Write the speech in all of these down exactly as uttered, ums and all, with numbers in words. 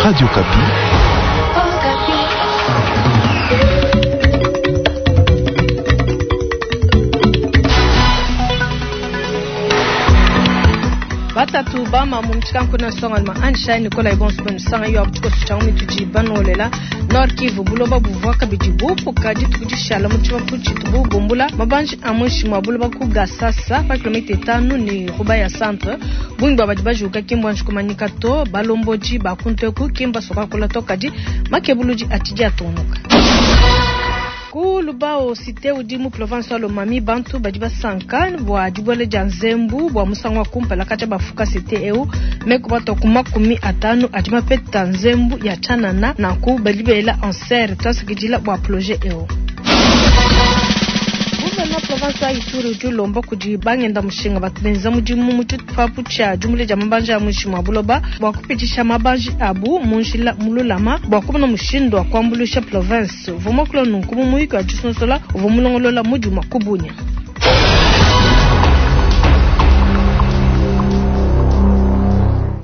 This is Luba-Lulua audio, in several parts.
Radio Okapi. Batatu bama mu mtshikanku na songa ma ansha Nicolas Ibons ben sanga yo abtuko tshangu mituji banolela Nord Kivu buloba buvwa kabidi bupuka dituku dishala mu tshibapu tshitu bumbula mabanji amwishi mwa buloba ku Gasasa pa kilomita itanu ni Rubaya centre bungi bwa badi bajuka kimbwa nshikumanyika to balomboji bakunteku kimba sokakola to kadi makebuluji atidi atonuka ku Lubao cité udi mu province wa Lomami bantu badi basanka bua dibuela dia nzembu bua musangu wa kumpala katshia bafuka cité eu meku bato ku makumi atanu adi mapeta nzembu ya tshianana nanku badi bela anser tuasakidila bua projet eu. Gouverneur province wa Ituri udi ulomba kudi bangenda mushinga batu benza mudimu mu tshipapu tshia diumbulia dia mabanji a muinshi mua buloba bua kupitisha mabanji abu mu njila mululama bua kumona mushindu wa kuambuluisha province. Uvua muakula nunku mu muyuki wa disonsola uvua mulongolola mudimu wa ku Bunia.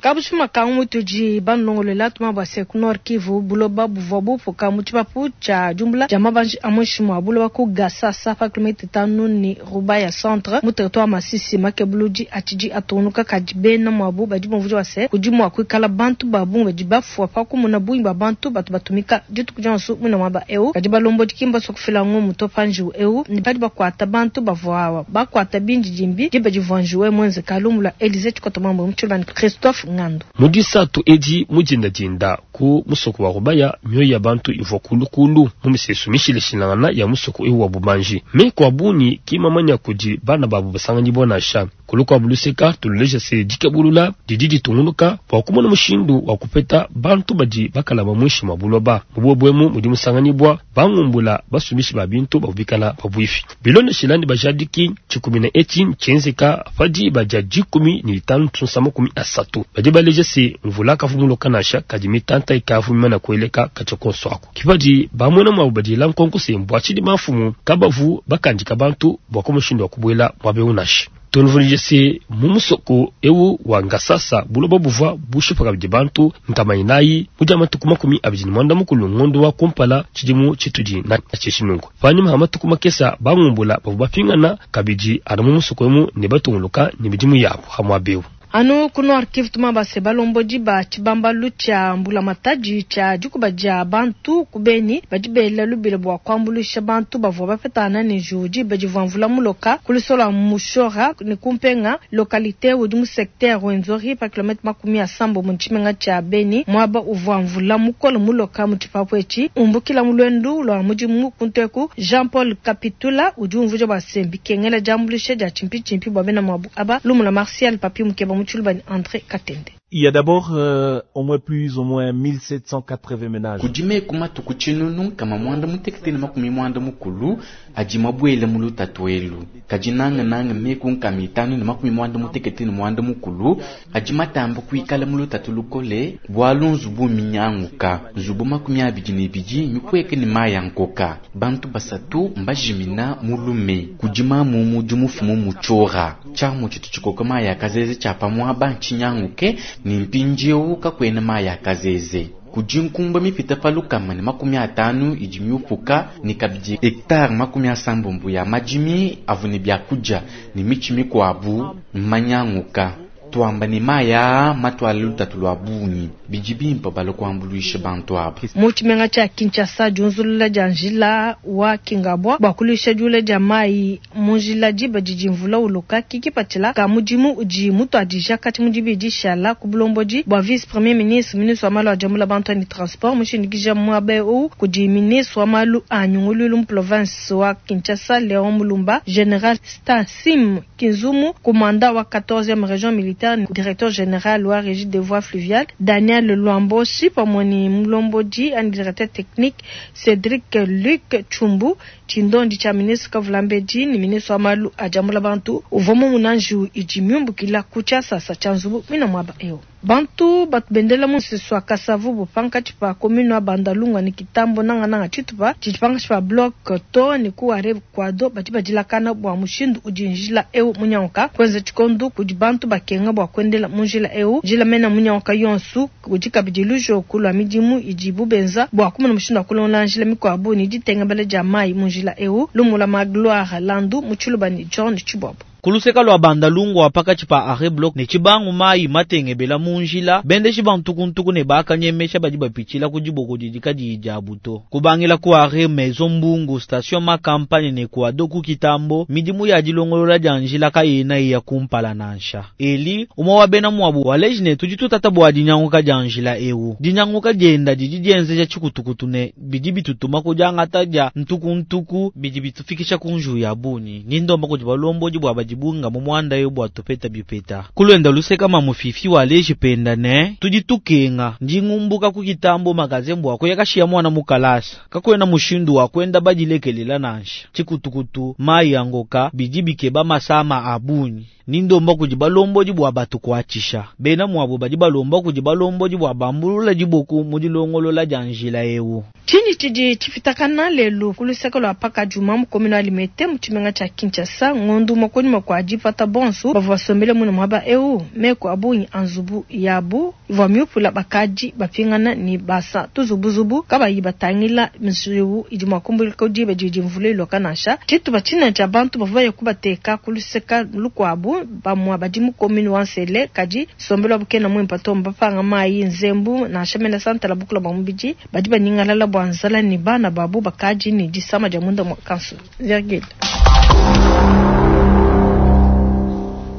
Kabushima kangu tudi banlongolola tuma bua se ku Nord Kivu buloba buvua bupuka mu tshipapu tshia diumbula dia mabanji a muinshi mua buloba ku Gasasa pa kilomita itanu ni Rubaya centre mu territoire Masisi makebuludi atshidi atonuka kadi bena muabu badi bumvuija bua se kudi mua kuikala bantu ba bungi badi bafua pa kumona bungi bua bantu batu batumika dituku dionso muina muaba eu kadi balombodi ki mbasua kufila ngumu to pa njiwu eu ni badi bakuata bantu bavua bakuata bindidimbi diba divua njiwu eu muenzeka lumu lua Elysée Tshikoto Mambo mu tshiluba ni Christophe Ngando. Mu disatu edi mu dindadinda ku musoko wa Rubaya mioyo ya bantu ivua kulukulu mu misesu mishilashilangana ya musoko eu wa bubanji meku a bungi ki mamanya kudi bana babu basanganyibua nansha kulukuabu luseka tululeja se dikebulula didi ditungunuka bua kumona mushindu wa kupeta bantu badi bakalama muinshi mua buloba mu buobu mudi musanganyibua bangumbula basumishi ba bintu bavua bikala pabuipi bilondeshilani bajadiki tshikumina etshi tshienzeka padi badia dikumi ni itanu tunsa makumi asatu badi baleja se mvula kavumuloka nansha kadi mitanta ikavumima na kueleka katshia konso aku kipadi bamwena mwabu badila nkonko se mbua tshidi mafumu kabavu bakandika bantu bua kumushindu wa kubuela muaba eu nansha tunvunije se mu musoko eu wa Ngasasa buloba buvua bushipa kabidi bantu nkama inayi mu dia matuku makumi abidi ne muanda mukulu ngondo wa kumpala tshidimu tshitudi na tshishinungu panyima ha matuku makesa bangumbula bavua bapingana kabidi anu mu musoko emu ne batunguluka ne midimu yabu ha muaba eu. Anu ku Nord Kivu tuma base balombodi ba tshibambalu tshia mbulamatadi tshia dikuba dia bantu ku Beni badi bela lubila bua kuambuluisha bantu bavua bapetana ne njiwu diba divua mvula muloka ku lusolo lua Mushora ne kumpenga localité udi mu secteur Rwenzori pa kilomètre makumi asambo mu tshimenga tshia Beni muaba uvua mvula mukole muloka mu tshipapu etshi umbukila mu luendu lua mudimu kunteku Jean Paul Kapitula udi umvuija bua se bikengela diambuluisha dia tshimpitshimpi bua bena muabu aba lumu la Martial Papi Mukeba mu tshiluba ni André Katende. Il y a d'abord euh, au moins plus ou moins mille sept cent quatre-vingts ménages. Kudi meku matuku tshinunu kama mwanda mutekete ne makumi mwanda mukulu adi mabuele mu lutatu elu. Kadi nanga nanga meku nkama itanu ne makumi mwanda mutekete ne mwanda mukulu adi matamba kuikala mu lutatu lukole bualu nzubu minyanguka. Nzubu makumi abidi ne ibidi mikweke ne mayi nkoka. Bantu basatu mbajimina mulume. Kudi mamu mudi mufumu mutshiora. Tshiamu tshitu tshikoka mayi akazeze tshia pamuaba ntshinyanguke ni mpindieu kakuena mayi akazeze. Kudi nkumba mipita pa lukama ne makumi atanu idi miupuka ne kabidi hectare makumi asambombo ya madimi avu ne biakudia ne mitshi mikuabu mmanyanguka. Tuamba ne mayi aa matuale lutatu lua bungi bidi bimpe bala kuambuluisha bantu aba. Mu tshimenga tshia Kinshasa diunzulula dia njila wa Kingabwa bua kuluisha diula dia mayi mu njila diba didi mvula uloka kikipatshila ka mudimu udi mutuadija kati mu dibidi shala ku bulombodi bua vice premier ministre ministre wa malu a diambula bantu ne transport mushindikija muaba eu kudi ministre wa malu a nyunguluilu mu province wa Kinshasa Léon Mulumba général Stasim Kinzumu commandant wa quatorzième région militaire directeur général wa régie des voies fluviales Daniel Luamboshi pamwe Mulombodi and directeur technique Cédric Luc Chumbu Chindondi cha ministre Kavulambedi ni ministre wa malu a diambula bantu uvua mumunanji idi miumbukila ku tshiasasa tshia nzubu mina muaba eu. Bantu batu bendela mu musesu wa Kasavubu pankatshi pa commune wa Bandalungwa ne Kitambo nangananga tshitupa tshidi pankatshi pa bloc to ne ku arrêt Kwado badi badilakana bua mushindu udi njila eu munyanguka kuenza tshikondo kudi bantu bakenga bua kuendela mu njila eu. Njila mena munyanguka yonsu kudi kabidi lujoku lua midimu idibu benza bua kumona mushindu wa kulongola njila mikuabu ne ditengabela dia mayi mu njila eu. Lumula Magloire Landu mu Tshiluba ne John Tshibobo. Kuluseka lwa Bandalungwa pakatshi pa arrêt bloc ne tshibangu mayi matengebela mu njila bendeshi bantukuntuku ne bakanyemesha badi bapitshila ku diboko didi kadiyi dia buto. Kubangila ku arrêt Maison Mbungu station makampani ne Kwado ku Kitambo midimu ya dilongolola dia njila kayena iya kumpala nansha. Eli umwe wa bena mwabu waleji ne tudi tutata bua dinyanguka dia njila eu. Dinyanguka dienda didi dienzeja tshikutukutu ne bidi bitutuma ku diangata dia ntukuntuku bidi bitufikisha ku nju ya bunyi. Nindomba kudi balombodi bua badi bunga mu mwanda yo bua tupeta bipeta. Kulwenda luseka mamufifi wa leji penda ne tudi tukenga ndingumbuka ku Kitambo magazembo ako yakashiya mwana mukalasa kakwena mushindu wa kwenda badilekelela nansha tshikutukutu mayi yangoka bidi bikeba masama abunyi. Nindomba kudi balombodi bua batu kuatshisha bena mwabo badi balomba kudi balombodi bua bambulula diboku mu dilongolola dia njila eu. Tshinyi tshidi tshipitakana lelu ku luseke lua Pakadjuma mu commune wa Limete mu tshimenga tshia Kinshasa ngondu mokoni kwa dipata bonsu bavua basombele muno muaba eu meko abungi anzubu yabu ivua miupula bakadi bapingana ni basa tuzubuzubu kabayi batangila misiwu idi mua kumbulika diba didi mvula iloka nansha. Tshitupa tshinene tshia bantu bavua baye kubateka ku luseka lukuabu bamua badi mu commune wa Nsele kadi sombelo bukena muimpa to mbapanga mayi nzembu nansha mena santala bukula bwa mubidi badi banyingalala bwa nzala ni bana babu bakadi ni disama dia munda mwa kansu. Virgile.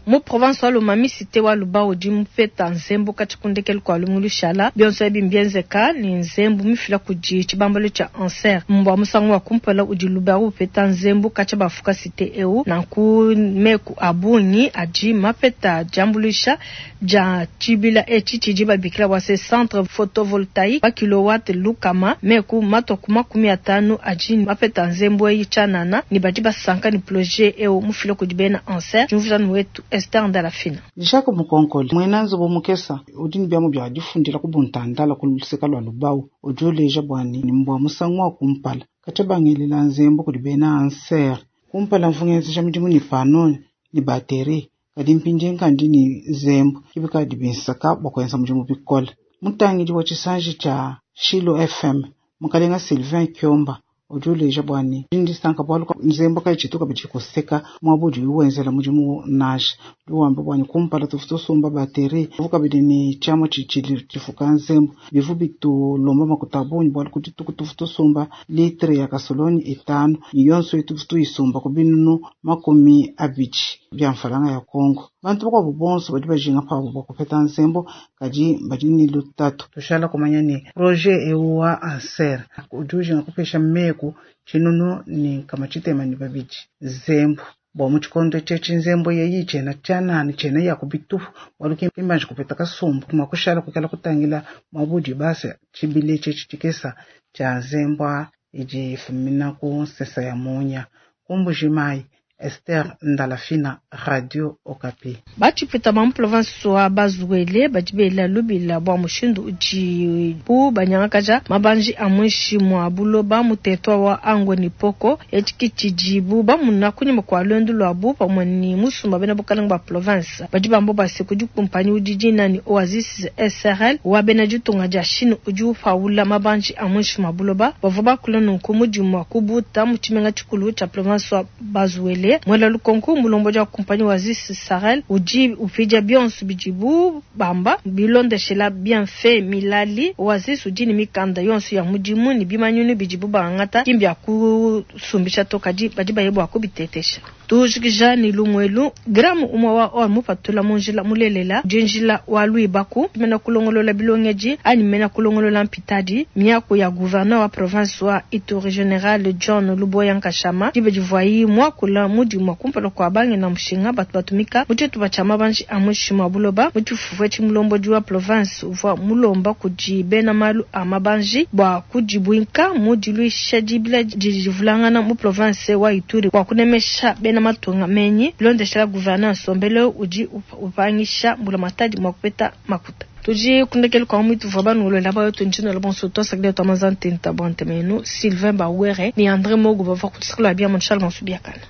Mu province wa Lomami cité wa Lubao di mupeta nzembu katshikundekelu kwa lumulu shala bionso ebi mbienzeka ni nzembu mifila kudi tshibambalo tsha ANSER mbwa musangu wa kumpala udi Lubao upeta nzembu katshi bafuka cité eu nanku meku abungi adi mapeta jambulisha ja tshibila etshi tshidi babikila wa se centre photovoltaïque wa kilowatt lukama meku matoku makumi atanu adi mapeta nzembu eyi tshanana ni badi basanka ni projet eu mufila kudi bena ANSER jumvujanu wetu Esther Ndalafina. Jacques Mukonkole mwena nzubu mukesa udi nibyamu bya difundila kubuntandala ku luseka lwa Lubao udi uleja bwani ni mbwa musangu wa kumpala katshabangelela nzembu kudi bena ANSER kumpala mvungenzesha midimu ni pano ni bateri kadi mpindie nkandi ni nzembu kibikadi binsaka bwa kuenza mudimu bikola. Mutangidi wa tshisanji tsha Shilo F M mukalenga Sylvain Kiomba udi uleja bwani ndisanka bwalu nzembu kai tshituka bidikuseka mwabudi wenzela mudimu nansha udi wamba bwani kumpala tufu tusumba bateri kabidi ni tshiamua tshitshili tshifuka nzembu bivu bitulomba makuta bungi bwalu kuti tuku tufu tusumba litre ya kasoloni itanu yonso itufu tuyisumba ku binunu makumi abidi bya mfalanga ya Kongo. Bantu bakwabo bonso badi bajinga pabo bwa kupeta nzembo kadi badi ni lutatu tushala kumanya ni projet eu wa ANSER udi ujinga kupesha meku tshinunu ni kama tshitema ni babidi nzembu bwa mu tshikondo tshetshi nzembo yeyi tshena tshanani tshena ya kubitufu bwalu kimbanje kupeta kasumbu mwakushala kukela kutangila mwabudi basa tshibile tshetshi tshikesa tsha nzembwa idi fumina ku nsesa ya munya kumbujimayi. Esther Ndalafina, Radio Okapi. Batshipeta ba mu province wa Bazuele badi bela lubila bua mushindu udi bu banyangakaja mabanji a muinshi mua buloba mu territoire wa Angwe Poko etshi tshidibu bamuna kunyima kua luendu luabu pamue ni musumba bena bukalenge ba province badi bamba base kudi kumpanyi udi dina ni Oasis S R L wa bena ditunga dia Chine udi upaula mabanji a muinshi mua buloba bavua bakula nunku mudimu wa kubuta mu tshimenga tshikulu tshia province wa Bazuele. Mwela lukonko mulombo ja kumpanyi Oasis Sarel udi upija bionso bidibu bamba bilondeshela bien fait milali Oasis udi ni mikanda yonso ya mudimu ni bimanyunu bidibu bangata kimbya kusumbisha tokadi badi bayebwa kubitetesha tujikija ni lumwelu gramu umwe wa or mupatula munjila mulelela jinjila wa Luibaku mena kulongolola bilongeji ani mena kulongolola mpitadi miako ya gouverneur wa province wa Ituri General John Luboya Nkashama dibe divoyi mwakula mudimu kumpala kwa bange na mushinga batu batumika muchetu bachama banji amushima buloba muchifufwe chimulombo wa province uvwa mulomba kudi bena malu amabanji bwa kujibwinka mudiluisha dibila dijivulangana mu province wa Ituri kwa kunemesha bena matunga menyi bilondeshela gouverneur Sombele udi upangisha mbulamatadi mwa kupeta makuta. Tudi kundekele kwa mwitu vwa banulola bayo tunjino bonso twasakile twamazantenta bwantemenu Sylvain Bawere ni André Mogo bava kutsakula bia Charles Mansubiakana.